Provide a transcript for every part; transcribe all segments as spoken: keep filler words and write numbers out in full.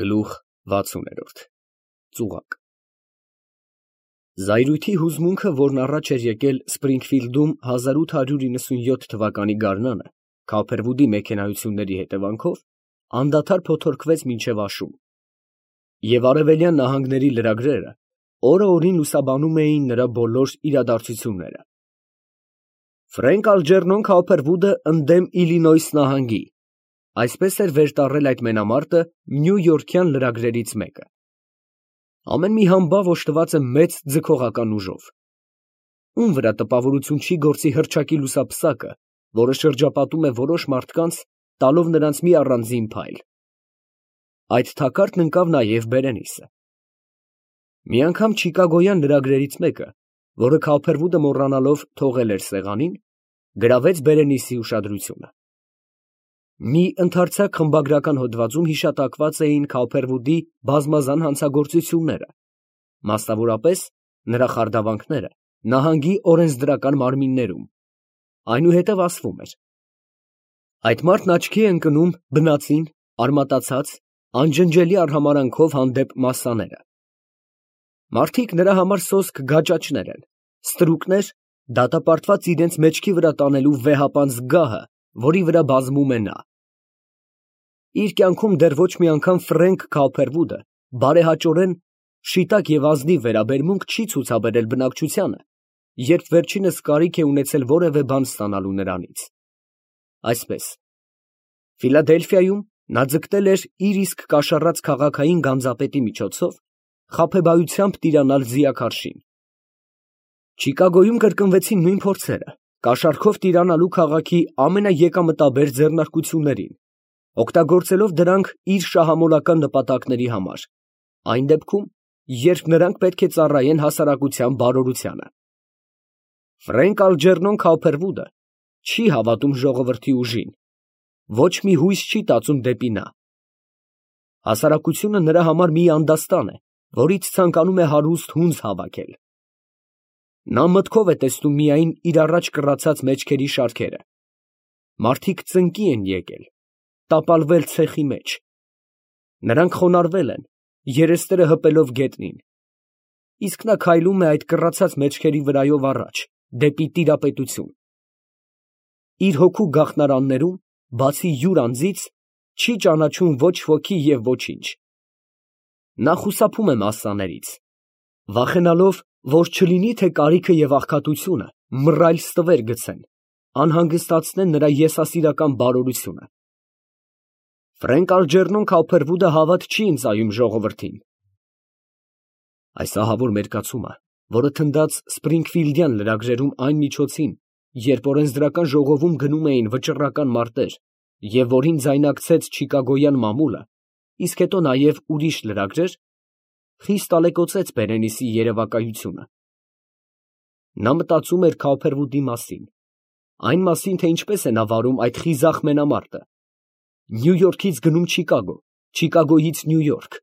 Գլուխ վաթսուն Ծուղակ Զայրույթի հուզմունքը, որն առաջ էր եկել Սպրինգֆիլդում հազար ութ հարյուր իննսունյոթ թվականի գարնանը Քոփերվուդի մեքենայությունների հետևանքով, անդադար փոթորկվեց մինչև աշուն, և արևելյան նահանգների լրագրերը օրը օրին լուսաբանում էին նրա բոլոր իրադարձությունները։ Ֆրենկ Ալջերնոն Քոփերվուդը ընդդեմ Իլինոյս նահանգի, այսպես էր վեր տառել այդ մենամարտը նյույորքյան լրագրերից մեկը։ Ամեն մի համբավ օժտված է մեծ ձգողական ուժով։ Ում վրա տպավորություն չի գործի հռչակի լուսափսակը, որը շրջապատում է որոշ մարդկանց, տալով նրանց մի առանձին փայլ։ Այդ թակարդն ընկավ նաև Բերենիսը։ Մի անգամ չիկագոյան լրագրերից մեկը, որը Քոփերվուդը մոռանալով թողել էր սեղանին, գրավեց Բերենիսի ուշադրությունը։ Մի ընդարձակ խմբագրական հոդվածում հիշատակված էին Քոփերվուդի բազմազան հանցագործությունները, մասնավորապես նրա խարդավանքները նահանգի օրենսդրական մարմիններում, այնուհետև ասվում էր. այդ մարդն աչքի է ընկնում բնածին, արմատացած, անջնջելի արհամարհանքով հանդեպ մասսաները։ Մարդիկ նրա համար սոսկ գաճաճներ են, ստրուկներ, դատապարտված իրենց մեջքի վրա տանելու վեհապանծ գահը, որի վրա բազում է նա։ Իր կյանքում դեռ ոչ մի անգամ Ֆրենկ Քոփերվուդը բարեհաճորեն, շիտակ և ազնիվ վերաբերմունք չի ցուցաբերել բնակչությանը, երբ վերջինս կարիք է ունեցել որևէ բան ստանալու նրանից։ Այսպես, Ֆիլադելֆիայում նա ձգտել էր իր իսկ կաշառած քաղաքային գանձապետի միջոցով խաբեբայությամբ տիրանալ ձիաքարշին։ Չիկագոյում կրկնվեցին նույն փորձերը, կաշառքով տիրանալու քաղաքի ամենաեկամտաբեր ձեռնարկություններին, օգտագործելով դրանք իր շահամոլական նպատակների համար, այն դեպքում, երբ նրանք պետք է ծառայեն հասարակության բարօրությանը։ Ֆրենկ Ալջերնոն Քոփերվուդը չի հավատում ժողովրդի ուժին, ոչ մի հույս չի տածում դեպի նա։ Հասարակությունը նրա համար մի անդաստան է, որից ցանկանում է հարուստ հունձ հավաքել։ Նա մտքով է տեսնում միայն իր առաջ կռացած մեջքերի շարքերը։ Մարդիկ ծնկի են եկել, տապալվել ցեխի մեջ։ Նրանք խոնարհվել են, երեսները հպելով գետնին, իսկ նա քայլում է այդ կռացած մեջքերի վրայով առաջ, դեպի տիրապետություն։ Իր հոգու գաղտնարաններում, բացի յուր անձից, չի ճանաչում ոչ ոքի և ոչինչ։ Նա խուսափում է մասսաներից, վախենալով, որ չլինի թե կարիքը և աղքատությունը մռայլ ստվեր գցեն, անհանգստացնեն նրա եսասիրական բարօրությունը։ Ֆրենկ Ալջերնոն Քոփերվուդը հավատ չի ընծայում ժողովրդին։ Այս ահավոր մերկացումը, որը թնդաց Սպրինգֆիլդյան լրագրերում այն միջոցին, երբ օրենսդրական ժողովում գնում էին վճռական մարտեր և որին ձայնակցեց չիկագոյան մամուլը, իսկ հետո նաև ուրիշ լրագրեր, խիստ ալեկոծեց Բերենիսի երևակայությունը։ Նա մտածում էր Քոփերվուդի մասին, այն մասին, թե ինչպես է նա վարում այդ խիզախ մենամարտը, Նյույորքից գնում Չիկագո, Չիկագոյից Նյույորք,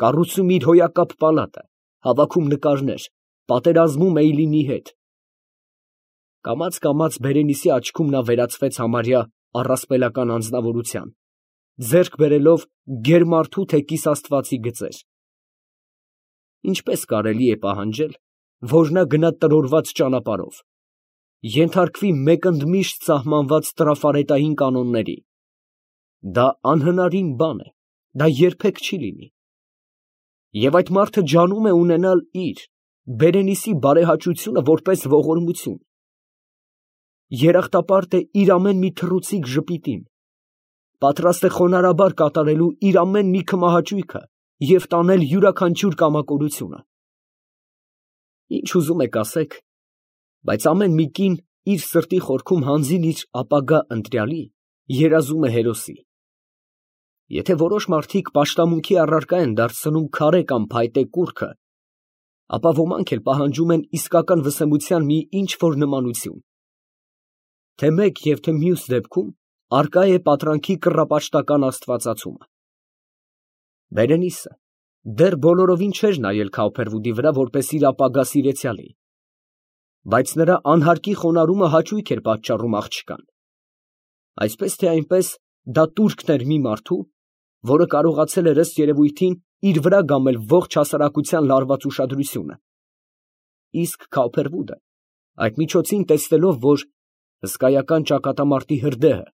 կառուցում իր հոյակապ պալատը, հավաքում նկարներ, պատերազմում Էյլինի հետ։ Կամաց֊կամաց Բերենիսի աչքում նա վերածվեց համարյա առասպելական անձնավորության, ձեռք բերելով գերմարդու թե կիսաստվածի գծեր։ Ինչպես կարելի է պահանջել, որ նա գնա տրորված ճանապարհով, ենթարկվի մեկընդմիշտ սահմանված տրաֆարետային կանոնների։ Դա անհնարին բան է, դա երբեք չի լինի։ Եվ այդ մարդը ջանում է ունենալ իր, Բերենիսի բարեհաճությունը որպես ողորմություն։ Երախտապարտ է իր ամեն մի թռուցիկ ժպիտին, պատրաստ է խոնարհաբար կատարելու իր ամեն մի քմահաճույքը և տանել յուրաքանչյուր կամակորությունը։ Ինչ ուզում եք ասեք, բայց ամեն մի կին իր սրտի խորքում հանձին իր ապագա ընտրյալի երազում է հերոսի։ Եթե որոշ մարդիկ պաշտամունքի առարկա են դարձնում քարե կամ փայտե կուռքը, ապա ոմանք էլ պահանջում են իսկական վսեմության մի ինչ֊որ նմանություն։ Թե մեկ և թե մյուս դեպքում առկա է պատրանքի կռապաշտական աստվածացումը։ Բերենիսը դեռ բոլորովին չէր նայել Քոփերվուդի վրա որպես իր ապագա սիրեցյալի, բայց նրա անհարկի խոնարհումը հաճույք էր պատճառում աղջկան։ Այսպես թե այնպես դա տուրքն էր մի մարդու, որը կարողացել էր ըստ երևույթին իր վրա գամել ողջ հասարակության լարված ուշադրությունը, իսկ Քավփերվուդը այդ միջոցին տեսնելով, որ հսկայական ճակատամարտի հրդեհը,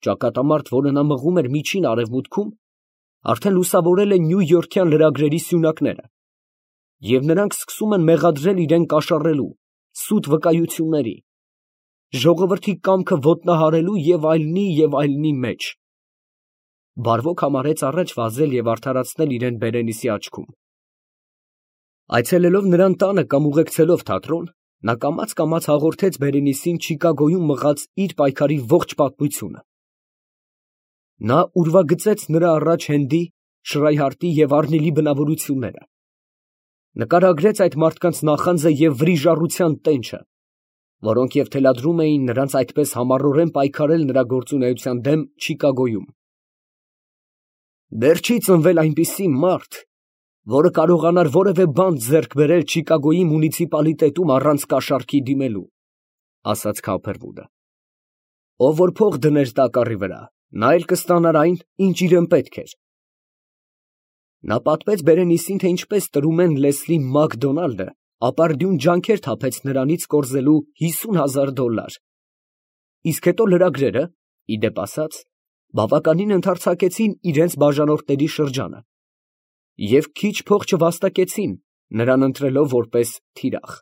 ճակատամարտ, որը նա մղում էր միջին արևմուտքում, արդեն լուսավորել է նյույորքյան լրագրերի սյունակները, և նրանք սկսում են մեղադրել իրան կաշառելու, սուտ վկայությունների, ժողովրդի կամքը ոտնահարելու և այլնի և այլնի մեջ, բարվոք համարեց առաջ վազել և արդարացնել իրան Բերենիսի աչքում։ Այցելելով նրան տանը կամ ուղեկցելով թատրոն, նա կամաց֊կամաց հաղորդեց Բերենիսին Չիկագոյում մղած իր պայքարի ողջ պատմությունը։ Նա ուրվագծեց նրա առաջ Հենդի, Շրայհարտի և Առնիլի բնավորությունները, նկարագրեց այդ մարդկանց նախանձը և վրիժառության տենչը, որոնք և թելադրում էին նրանց այդպես համառորեն պայքարել նրա գործունեության դեմ Չիկագոյում։ Դեռ չի ծնվել այնպիսի մարդ, որը կարողանար որևէ բան ձեռք բերել Չիկագոյի մունիցիպալիտետում առանց կաշառքի դիմելու, ֊ ասաց Քավփերվուդը։ Ով որ փող դներ տակառի վրա, նա էլ կստանար այն, ինչ իրան պետք էր։ Նա պատմեց Բերենիսին, թե ինչպես տրումեն Լեսլի Մակդոնալդը ապարդյուն ջանքեր թափեց նրանից կորզելու հիսուն հազար դոլլար, իսկ հետո լրագրերը, ի դեպ ասած, բավականին ընդարձակեցին իրենց բաժանորդների շրջանը և քիչ փող չվաստակեցին, նրան ընտրելով որպես թիրախ։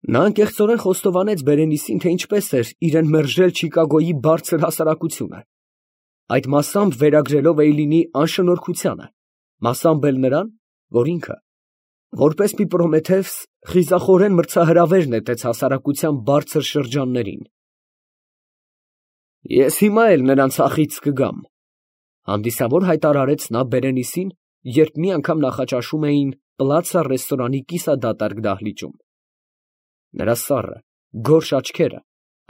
Նա անկեղծորեն խոստովանեց Բերենիսին, թե ինչպես էր իրան մերժել Չիկագոյի բարձր հասարակությունը, այդ մասամբ վերագրելով Էյլինի անշնորհքությանը, մասամբ էլ նրան, որ ինքը, որպես մի Պրոմեթևս, խիզախորեն մրցահրավեր նետեց հասարակության բարձր շրջաններին։ Ես հիմա էլ նրան ցախից կգամ, ֊ հանդիսավոր հայտարարեց նա Բերենիսին, երբ մի անգամ նախաճաշում էին Պլացա ռեստորանի կիսադատարկ դահլիճում։ Նրա սառը, գորշ աչքերը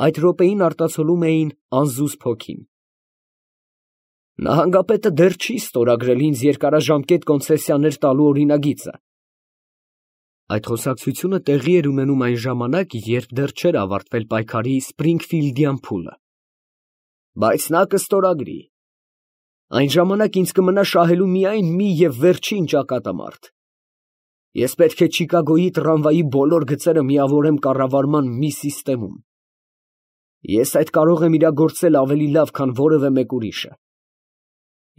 այդ րոպեին արտացոլում էին անզուսպ հոգին։ Նահանգապետը դեռ չի ստորագրել ինձ երկարաժամկետ կոնցեսիաներ տալու օրինագիծը։ Այդ խոսակցությունը տեղի էր ունենում այն ժամանակ, երբ դեռ չէր ավարտվել պայքարի Սպրինգֆիլդյան փուլը։ Բայց նա կստորագրի։ Այն ժամանակ ինձ կմնա շահելու միայն մի և վերջին ճակատամարտ։ Ես պետք է Չիկագոյի տրամվայի բոլոր գծերը միավորեմ կառավարման մի սիստեմում։ Ես այդ կարող եմ իրագործել ավելի լավ, քան որևէ մեկ ուրիշը։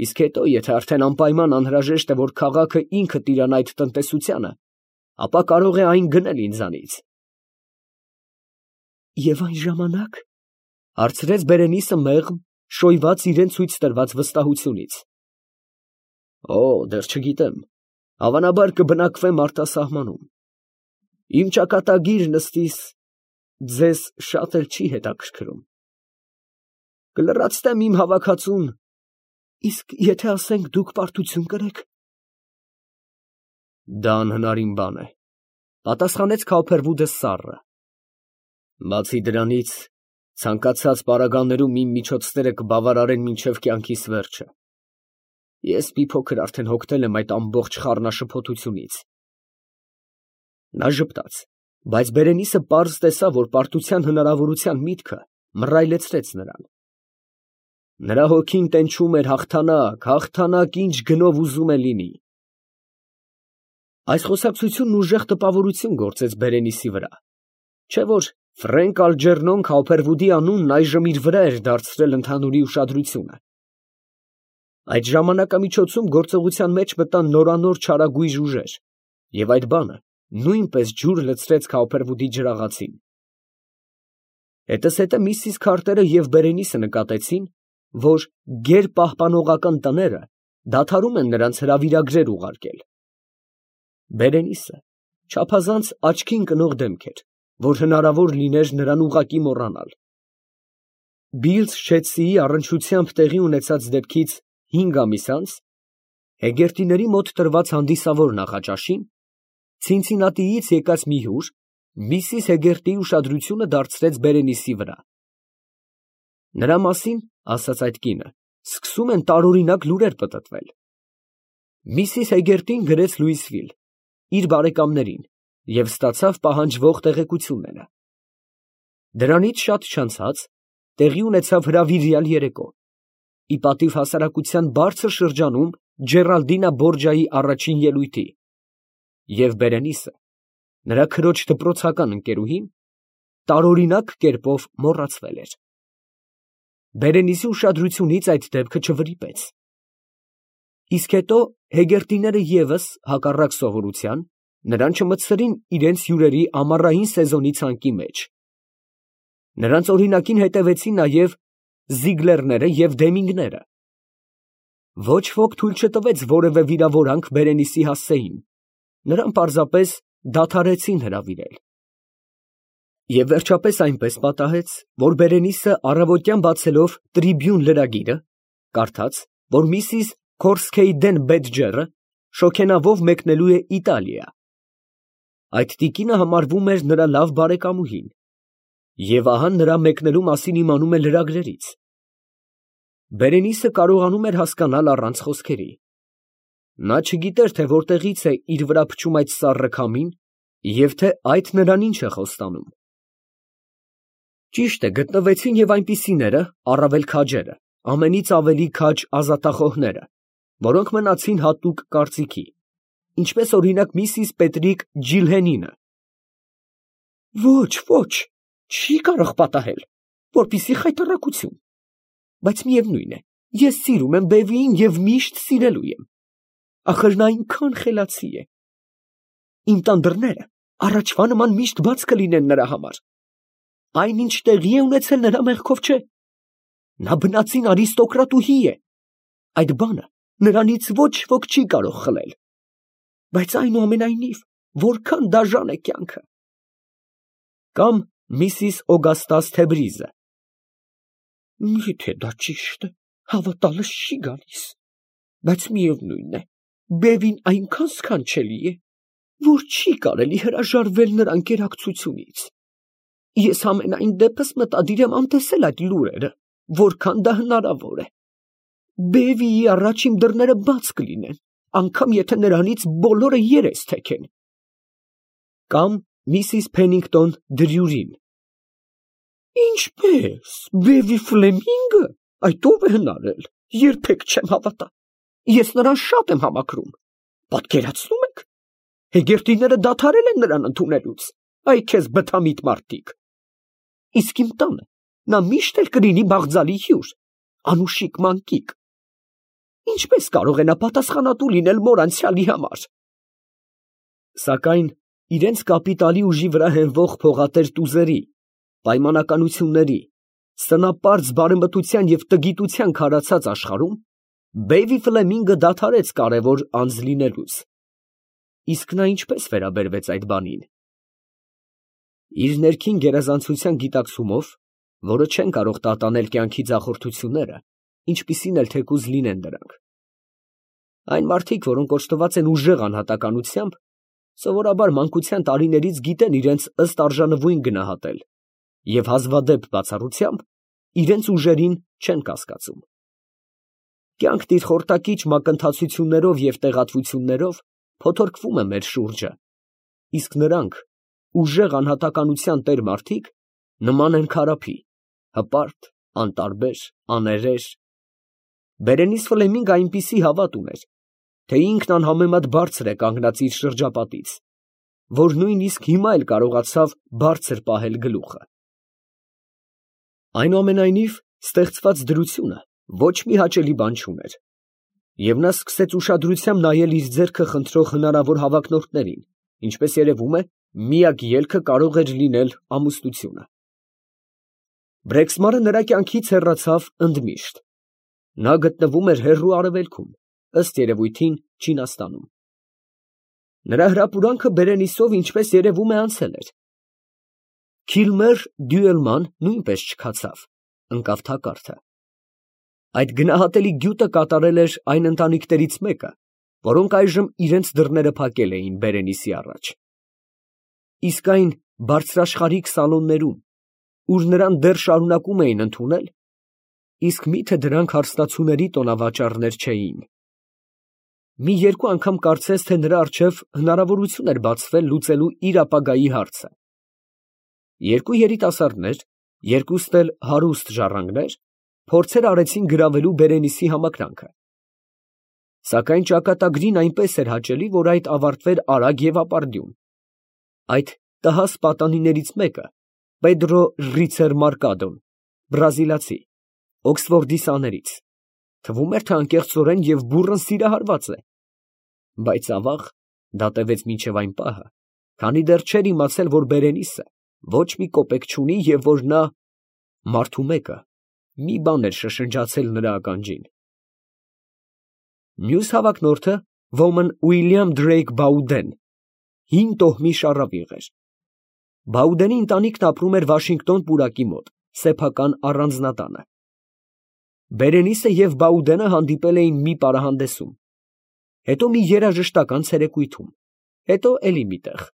Իսկ հետո, եթե արդեն անպայման անհրաժեշտ է, որ քաղաքը ինքը տիրանա այդ տնտեսությանը, ապա կարող է այն գնել ինձանից։ Եվ այն ժամանակ, ֊ հարցրեց Բերենիսը մեղմ, շոյված իրան ցույց տրված վստահությունից։ Օ, դեռ չգիտեմ, հավանաբար կբնակվեմ արտասահմանում։ Իմ ճակատագիր նստիս ձեզ շատ էլ չի հետաքրքրում։ Կլրացնեմ իմ հավաքածուն, իսկ եթե ասենք դուք պարտություն կրեք։ Դա անհնարին բան է, ֊ պատասխանեց Քավփերվուդը սառը։ Բացի դրանից, ցանկացած պարագաներում իմ միջոցները կբավարարեն մինչև կյանքիս վերջը։ Ես մի փոքր արդեն հոգնել եմ այդ ամբողջ խառնաշփոթությունից։ Նա ժպտաց, բայց Բերենիսը պարզ տեսավ, որ պարտության հնարավորության միտքը մռայլեցրեց նրան։ Նրա հոգին տենչում էր հաղթանակ, հաղթանակ, ինչ գնով ուզում է լինի։ Այս խոսակցությունն ուժեղ տպավորություն գործեց Բերենիսի վրա, չէ՞ որ Ֆրենկ Ալջերնոն Քավփերվուդի անունն այժմ իր վրա էր դարձրել ընդհանուրի ուշադրությունը։ Այդ ժամանակամիջոցում գործողության մեջ մտան նորանոր չարագույժ ուժեր, և այդ բանը նույնպես ջուր լցրեց Քավփերվուդի ջրաղացին։ Հետզհետե միսիս Քարտերը և Բերենիսը նկատեցին, որ գերպահպանողական տները դադարում են նրանց հրավիրագրեր ուղարկել։ Բերենիսը չափազանց աչքին կնող դեմք էր, որ հնարավոր լիներ նրան ուղղակի մոռանալ։ Բիլզ-Շեթսիի առնչությամբ տեղի ունեցած դեպքից հինգ ամիս անց Հեգերտիների մոտ տրված հանդիսավոր նախաճաշին Ցինցինատիից եկած մի հյուր միսիս Հեգերտիի ուշադրությունը դարձրեց Բերենիսի վրա։ Նրա մասին, ասաց այդ կինը, սկսում են տարօրինակ լուրեր պտտվել։ Միսիս Հեգերտին գրեց Լուիսվիլ իր բարեկամներին և ստացավ պահանջվող տեղեկությունները։ Դրանից շատ չանցած տեղի ունեցավ հրավիրյալ երեկո, ի պատիվ հասարակության բարձր շրջանում Ջերալդինա Բորջայի առաջին ելույթի, և Բերենիսը, նրա քրոջ դպրոցական ընկերուհին, տարօրինակ կերպով մոռացվել էր։ Բերենիսի ուշադրությունից այդ դեպքը չվրիպեց։ Իսկ հետո հեգերտիները ևս, հակառակ սովորության, նրան չմտցրին իրենց հյուրերի ամառային սեզոնի ցանկի մեջ։ Նրանց օրինակին հետևեցին նաև Զիգլերները և Դեմինգները։ Ոչ ոք թույլ չտվեց որևէ վիրավորանք Բերենիսի հասցեին, նրան պարզապես դադարեցին հրավիրել։ Եվ վերջապես այնպես պատահեց, որ Բերենիսը առավոտյան բացելով Տրիբյուն լրագիրը, կարդաց, որ միսիս Քորսքեյդեն Բեդջերը շոգենավով մեկնելու է Իտալիա։ Այդ տիկինը համարվում էր նրա լավ բարեկամուհին, և ահա նրա մեկնելու մասին իմանում է լրագրերից։ Բերենիսը կարողանում էր հասկանալ առանց խոսքերի։ Նա չգիտեր, թե որտեղից է իր վրա փչում այդ սառը քամին և թե այդ նրան ինչ է խոստանում։ Ճիշտ է, գտնվեցին և այնպիսիները, առավել քաջերը, ամենից ավելի քաջ ազատախոհները, որոնք մնացին հատուկ կարծիքի, ինչպես օրինակ միսիս Պետրիկ Ջիլհենինը։ Ոչ, ոչ, չի կարող պատահել, որպեսզի խայտառակություն, բայց միևնույն է, ես սիրում եմ Բեվիին և միշտ սիրելու եմ, ախր նա այնքան խելացի է։ Իմ տան դռները առաջվա նման միշտ բաց կլինեն նրա համար։ Այն, ինչ տեղի է ունեցել, նրա մեղքով չէ։ Նա բնածին արիստոկրատուհի է։ Այդ բանը նրանից ոչ ոք չի կարող խլել։ Բայց այնուամենայնիվ, որքան դաժան է կյանքը։ Կամ միսիս Օգաստաս Թեբրիզը։ Եթե դա ճիշտ է, հավատալս չի գալիս, բայց միևնույն է, Բևին այնքան սքանչելի է, որ չի կարելի հրաժարվել նրա ընկերակցությունից։ Ես ամենայն դեպս մտադիր եմ անտեսել այդ լուրերը, որքան դա հնարավոր է։ Բևիի առաջ իմ դռները բաց կլինեն, անգամ եթե նրանից բոլորը երես թեքեն։ Կամ միսիս Փեննինգտոն Դրյուրին։ Ինչպե՞ս, Բևի Ֆլեմինգը, այդ ով է հնարել, երբեք չեմ հավատա, ես նրան շատ եմ համակրում, պատկերացնում եք, հեգերտիները դադարել են նրան ընդունելուց, այ քեզ բթամիտ մարդիկ, իսկ իմ տանը նա միշտ էլ կլինի բաղձալի հյուր, անուշիկ մանկիկ, ինչպես կարող է նա պատասխանատու լինել մոր անցյալի համար։ Սակայն իրենց կապիտալի ուժի վրա հենվող փողատեր տուզերի, պայմանականությունների, սնապարծ բարեմտության և տգիտության քարացած աշխարհում Բեյվի Ֆլեմինգը դադարեց կարևոր անձ լինելուց։ Իսկ նա ինչպես վերաբերվեց այդ բանին։ Իր ներքին գերազանցության գիտակցումով, որը չեն կարող տատանել կյանքի ձախորդությունները, ինչպիսին էլ թեկուզ լինեն դրանք։ Այն մարդիկ, որոնք օժտված են ուժեղ անհատականությամբ, սովորաբար մանկության տարիներից գիտեն իրենց ըստ արժանվույն գնահատել և հազվադեպ բացառությամբ իրենց ուժերին չեն կասկածում։ Կյանքն իր խորտակիչ մակընթացություններով և տեղատվություններով փոթորկվում է մեր շուրջը, իսկ նրանք, ուժեղ անհատականության տեր մարդիկ, նման են քարափի, հպարտ, անտարբեր, աներեր։ Բերենիս Ֆլեմինգը այնպիսի հավատ ուներ, թե ինքն անհամեմատ բարձր է կանգնած իր շրջապատից, որ նույնիսկ հիմա էլ կարողացավ բարձր պահել գլուխը։ Այնուամենայնիվ, ստեղծված դրությունը ոչ մի հաճելի բան չուներ, և նա սկսեց ուշադրությամբ նայել իր ձեռքը խնդրող հնարավոր հավակնորդներին, ինչպես երևում է, միակ ելքը կարող էր լինել ամուսնությունը։ Բրեքսմարը նրա կյանքից հեռացավ ընդմիշտ։ Նա գտնվում էր հեռու արևելքում, ըստ երևույթին Չինաստանում։ Նրա հրապուրանքը Բերենիսով, ինչպես երևում է, անցել էր։ Քիլմեր Դյուելման նույնպես չքացավ, ընկավ թակարդը։ Այդ գնահատելի գյուտը կատարել էր այն ընտանիքներից մեկը, որոնք այժմ իրենց դռները փակել էին Բերենիսի առաջ։ Իսկ այն բարձրաշխարհիկ սալոններում, ուր նրան դեռ շարունակում էին ընդունել, իսկ մի՞թե դրանք հարստացուների տոնավաճառներ չէին։ Մի երկու անգամ կարծես թե նրա առջև հնարավորություն էր բացվել լուծելու իր ապագայի հարցը։ Երկու երիտասարդներ, երկուստ էլ հարուստ ժառանգներ, փորձեր արեցին գրավելու Բերենիսի համակրանքը։ Սակայն ճակատագրին այնպես էր հաճելի, որ այդ ավարտվեր արագ և ապարդյուն։ Այդ տհաս պատանիներից մեկը, Պեդրո Ռիցեր Մարկադոն, բրազիլացի, Օքսֆորդի սաներից, թվում էր, թե անկեղծորեն և բուռն սիրահարված է, բայց ավաղ, դա տևեց մինչև այն պահը, քանի դեռ չէր իմացել, որ Բերենիսը ոչ մի կոպեկ չունի և որ նա մարդու մեկը մի բան էր շշնջացել նրա ականջին։ Մյուս հավակնորդը ոմն Ուիլյամ Դրեյք Բաուդեն, հին տոհմի շառավիղ էր։ Բաուդենի ընտանիքն ապրում էր Վաշինգտոն պուրակի մոտ, սեփական առանձնատանը։ Բերենիսը և Բաուդենը հանդիպել էին մի պարահանդեսում, հետո մի երաժշտական ցերեկույթում, հետո էլի մի տեղ։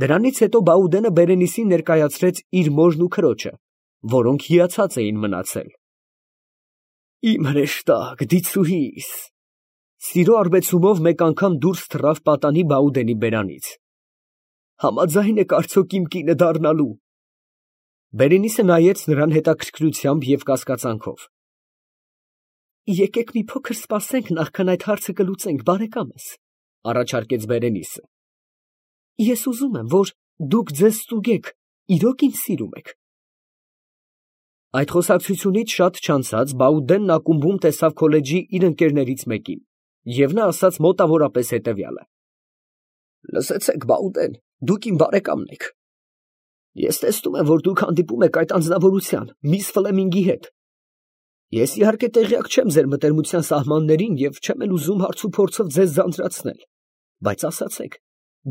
Դրանից հետո Բաուդենը Բերենիսին ներկայացրեց իր մորն ու քրոջը, որոնք հիացած էին մնացել։ Իմ հրեշտակ, դիցուհիս, սիրո արբեցումով մեկ անգամ դուրս թռավ պատանի Բաուդենի բերանից։ Համաձայն եք արդյոք իմ կինը դառնալու։ Բերենիսը նայեց նրան հետաքրքրությամբ և կասկածանքով։ Եկեք մի փոքր սպասենք, նախքան այդ հարցը կլուծենք, բարեկամս, առաջարկեց Բերենիսը։ Ես ուզում եմ, որ դուք ձեզ ստուգեք, իրոք ինձ սիրում եք։ Այդ խոսակցությունից շատ չանցած Բաուդենն ակումբում տեսավ քոլեջի իր ընկերներից մեկին, և նա ասաց մոտավորապես հետևյալը. Լսեցեք, Բաուդեն, դուք իմ բարեկամն եք։ Ես տեսնում եմ, որ դուք հանդիպում եք այդ անձնավորության, միս Ֆլեմինգի հետ։ Ես իհարկե տեղյակ չեմ ձեր մտերմության սահմաններին և չեմ էլ ուզում հարց ու փորձով ձեզ ձանձրացնել, բայց ասացեք,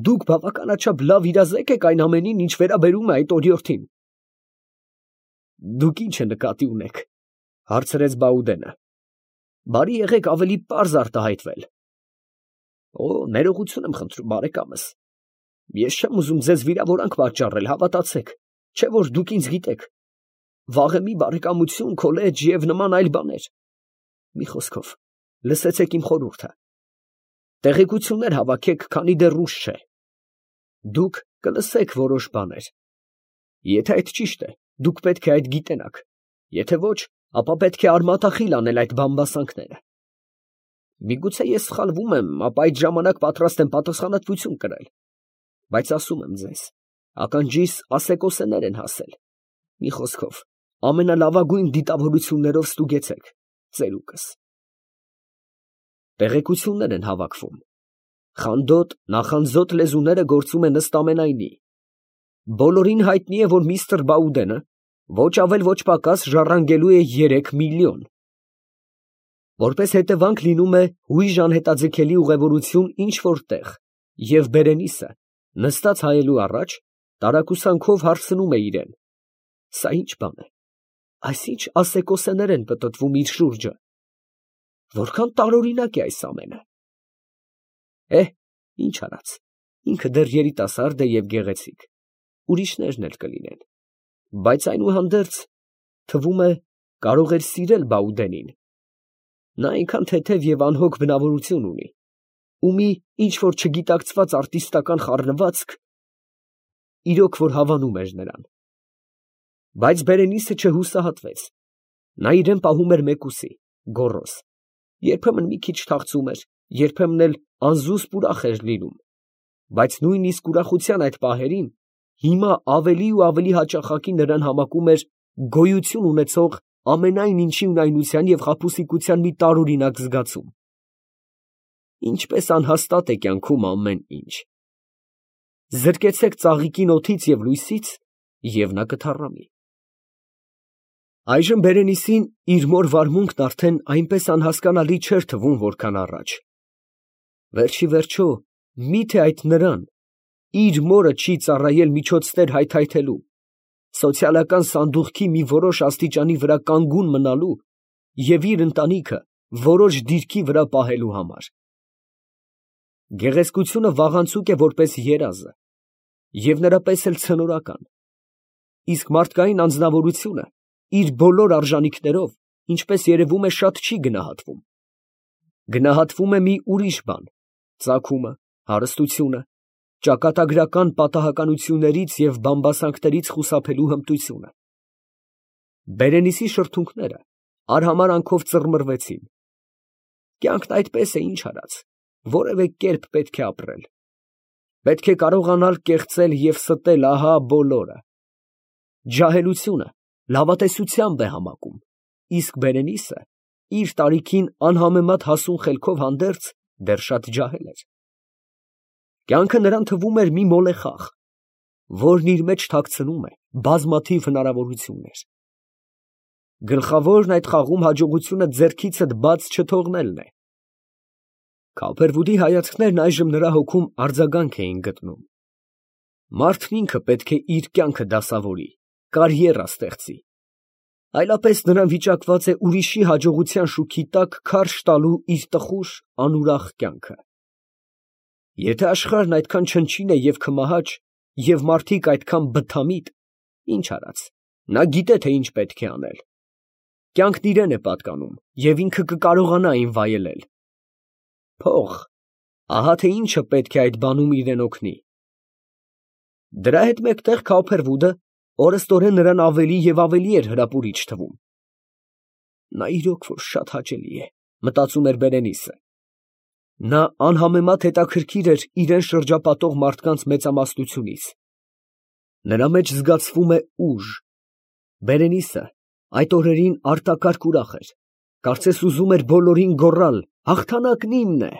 դուք բավականաչափ լավ իրազեկ եք այն ամենին, ինչ վերաբերում է այդ օրիորդին։ Դուք ի՞նչը նկատի ունեք, հարցրեց Բաուդենը։ Բարի եղեք ավելի պարզ արտահայտվել։ Օ, ներողություն եմ խնդրում, բարեկամս։ Ես չեմ ուզում ձեզ վիրավորանք պատճառել, հավատացեք, չէ որ դուք ինձ գիտեք։ Վաղեմի բարեկամություն, քոլեջ և նման այլ բաներ։ Մի խոսքով, լսեցեք իմ խորհուրդը։ Տեղեկություններ հավաքեք, քանի դեռ ուշ չէ։ Դուք կլսեք որոշ բաներ։ Եթե այդ ճիշտ է, դուք պետք է այդ գիտենաք, եթե ոչ, ապա պետք է արմատախիլ անել այդ բամբասանքները։ Միգուցե ես սխալվում եմ, ապա այդ ժամանակ պատրաստ եմ պատասխանատվություն կրել։ Բայց ասում եմ ձեզ, ականջիս ասեկոսեներ են հասել։ Մի խոսքով, ամենալավագույն դիտավորություններով ստուգեցեք ծերուկս։ Տեղեկություններ են հավաքվում։ Խանդոտ, նախանձոտ լեզուները գործում են ըստ ամենայնի։ Բոլորին հայտնի է, որ միստր Բաուդենը ոչ ավել ոչ պակաս ժառանգելու է երեք միլիոն։ Որպես հետևանք լինում է հույժ անհետաձգելի ուղևորություն ինչ-որ տեղ, և Բերենիսը, նստած հայելու առաջ, տարակուսանքով հարցնում է իրեն. սա ի՞նչ բան է, այսինչ ասեկոսեներ են պտտվում իր շուրջը, որքան տարօրինակ է այս ամենը։ Էհ, ինչ արած, ինքը դեռ երիտասարդ է և գեղեցիկ, ուրիշներն էլ կլինեն, բայց այնուհանդերձ, թվում է, կարող էր սիրել Բաուդենին։ Նա այնքան թեթև և անհոգ բնավորություն ունի, ու մի ինչ-որ չգիտակցված արտիստական խառնվածք, իրոք որ հավանում էր նրան։ Բայց Բերենիսը չհուսահատվեց. նա իրեն պահում էր մեկուսի, գոռոզ, երբեմն մի քիչ թախծում էր, երբեմն էլ անզուսպ ուրախ էր լինում, բայց նույնիսկ ուրախության այդ պահերին հիմա ավելի ու ավելի հաճախակի նրան համակում էր գոյություն ունեցող ամենայն ինչի ունայնության և խաբուսիկության մի տարօրինակ զգացում։ Ինչպես անհաստատ է կյանքում ամեն ինչ։ Զրկեցեք ծաղիկին օդից և լույսից, և նա կթառամի։ Այժմ Բերենիսին իր մոր վարմունքն արդեն այնպես անհասկանալի չէր թվում, որքան առաջ։ Վերջի վերջո, մի՞թե այդ նրան, իր մորը չի ծառայել միջոցներ հայթայթելու, սոցիալական սանդուղքի մի որոշ աստիճանի վրա կանգուն մնալու և իր ընտանիքը որոշ դիրքի վրա պահելու համար։ Գեղեցկությունը վաղանցուկ է որպես երազը, և նրա պես էլ ցնորական, իսկ մարդկային անձնավորությունը իր բոլոր արժանիքներով, ինչպես երևում է, շատ չի գնահատվում։ Գնահատվում է մի ուրիշ բան՝ ծագումը, հարստությունը, ճակատագրական պատահականություններից և բամբասանքներից խուսափելու հմտությունը։ Բերենիսի շրթունքները արհամարանքով ծռմռվեցին։ Կյանքն այդպես է, ինչ արած, որևէ կերպ պետք է ապրել։ Պետք է կարողանալ կեղծել և ստել, ահա բոլորը։ Ջահելությունը լավատեսությամբ է համակում, իսկ Բերենիսը իր տարիքին անհամեմատ հասուն խելքով հանդերձ դեռ շատ ջահել էր։ Կյանքը նրան թվում էր մի մոլեխաղ, որն իր մեջ թաքցնում է բազմաթիվ հնարավորություններ։ Գլխավորն այդ խաղում հաջողությունը ձեռքիցդ բաց չթողնելն է։ Քոփերվուդի հայացքներն այժմ նրա հոգում արձագանք էին գտնում։ Մարդն ինքը պետք է իր կյանքը դասավորի, կարիերա ստեղծի, այլապես նրան վիճակված է ուրիշի հաջողության շուքի տակ քարշ տալու իր տխուր, անուրախ կյանքը։ Եթե աշխարհն այդքան չնչին է և քմահաճ, և մարդիկ այդքան բթամիտ, ինչ արած, նա գիտե, թե ինչ պետք է անել։ Կյանքն իրան է պատկանում, և ինքը կկարողանա այն վայելել։ Փող, ահա թե ինչը պետք է այդ բանում իրան օգնի։ Դրա հետ մեկտեղ Քոփերվուդը օրըստօրեն նրան ավելի և ավելի էր հրապուրիչ թվում։ Նա իրոք որ շատ հաճելի է, մտածում էր Բերենիսը։ Նա անհամեմատ հետաքրքիր էր իրան շրջապատող մարդկանց մեծամասնությունից։ Նրա մեջ զգացվում է ուժ։ Բերենիսը այդ օրերին արտակարգ ուրախ էր, կարծես ուզում էր բոլորին գոռալ. «Հաղթանակն իմն է»։